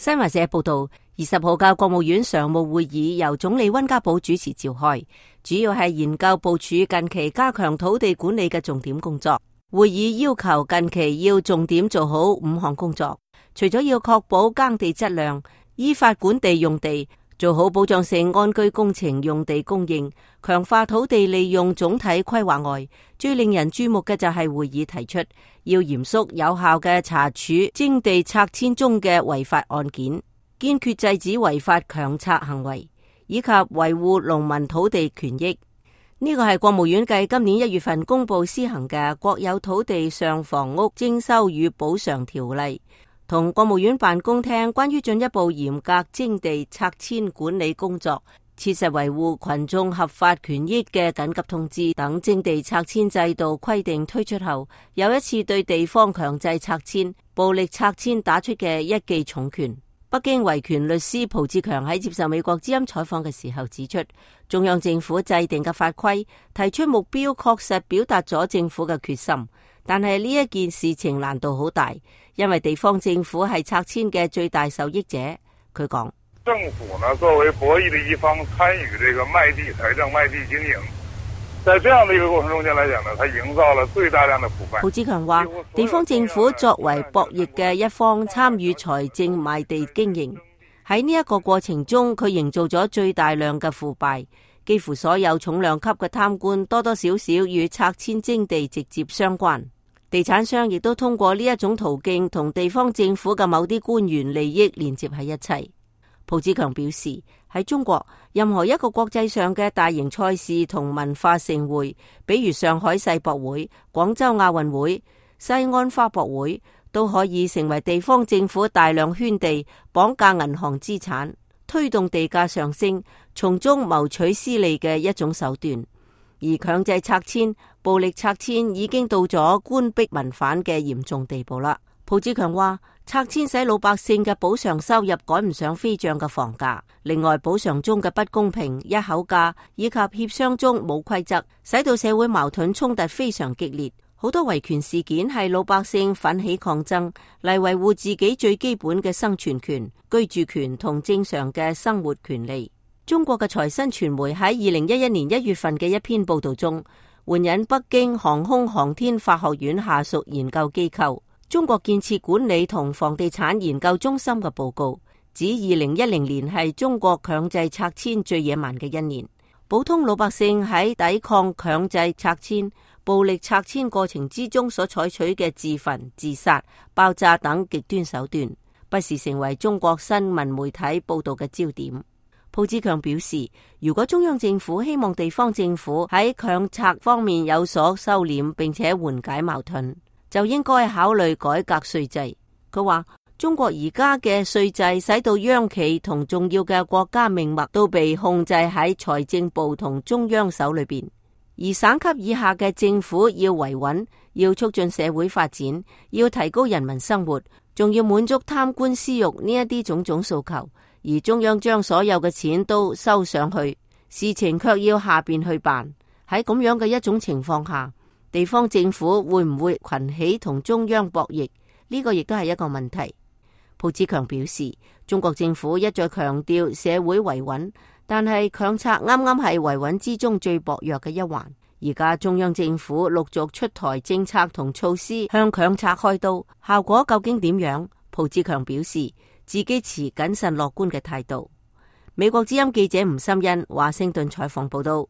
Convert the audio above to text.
新華社報道，20號嘅國務院常務會議由總理溫家寶主持召開，主要係研究部署近期加強土地管理嘅重點工作。會議要求近期要重點做好5項工作，除咗要確保耕地質量、依法管地用地、做好保障性安居工程用地供應、強化土地利用總體規劃外，最令人注目嘅就係會議提出要嚴肅有效嘅查處徵地拆遷中嘅違法案件，堅決制止違法強拆行為，以及維護農民土地權益。呢個係國務院繼今年1月份公布施行嘅國有土地上房屋徵收與補償條例，同國務院辦公廳關於進一步嚴格徵地拆遷管理工作、切實維護群眾合法權益嘅緊急通知等徵地拆遷制度規定推出後，又一次對地方強制拆遷、暴力拆遷打出嘅一記重拳。北京維權律師蒲志強喺接受美國之音採訪嘅時候指出，中央政府制定嘅法規提出目標，確實表達咗政府嘅決心，但係呢一件事情難度好大，因為地方政府係拆遷嘅最大受益者。佢講，政府呢作為博弈的一方，參與這個賣地財政、賣地經營，在這樣的一個過程中間來講呢，它營造了最大量的腐敗。蒲志強話，地方政府作為博弈嘅一方，參與財政賣地經營，喺呢一個過程中，佢營造咗最大量嘅腐敗，幾乎所有重量級嘅貪官多多少少與拆遷徵地直接相關，地產商亦都通過呢一種途徑同地方政府嘅某啲官員利益連接喺一齊。蒲志強表示，喺中國，任何一個國際上嘅大型賽事同文化盛會，比如上海世博會、廣州亞運會、西安花博會，都可以成為地方政府大量圈地、綁架銀行資產、推動地價上升、從中謀取私利嘅一種手段。而強制拆遷、暴力拆遷已經到咗官逼民反嘅嚴重地步啦。蒲志強話，拆遷使老百姓嘅補償收入趕唔上飛漲嘅房價，另外補償中嘅不公平、一口價以及協商中冇規則，使到社會矛盾衝突非常激烈。好多維權事件係老百姓奮起抗爭嚟維護自己最基本嘅生存權、居住權同正常嘅生活權利。中國嘅財新傳媒喺2011年1月份嘅一篇報道中，援引北京航空航天法學院下屬研究機構中國建設管理同房地產研究中心嘅報告，指2010年係中國強制拆遷最野蠻嘅一年。普通老百姓喺抵抗強制拆遷、暴力拆遷過程之中所採取嘅自焚、自殺、爆炸等極端手段，不時成為中國新聞媒體報道嘅焦點。蒲志強表示，如果中央政府希望地方政府喺強拆方面有所收斂並且緩解矛盾，就應該考慮改革稅制。佢話，中國而家嘅稅制使到央企同重要嘅國家命脈都被控制喺財政部同中央手裏邊，而省級以下嘅政府要維穩，要促進社會發展，要提高人民生活，仲要滿足貪官私欲呢一啲種種訴求，而中央將所有嘅錢都收上去，事情卻要下邊去辦。喺咁樣嘅一種情況下，地方政府會唔會群起同中央博弈？呢個亦都係一個問題。蒲志強表示，中國政府一再強調社會維穩，但係強拆啱啱係維穩之中最薄弱嘅一環。而家中央政府陸續出台政策同措施向強拆開刀，效果究竟點樣？蒲志強表示自己持謹慎樂觀嘅態度。美國之音記者吳心欣華盛頓採訪報道。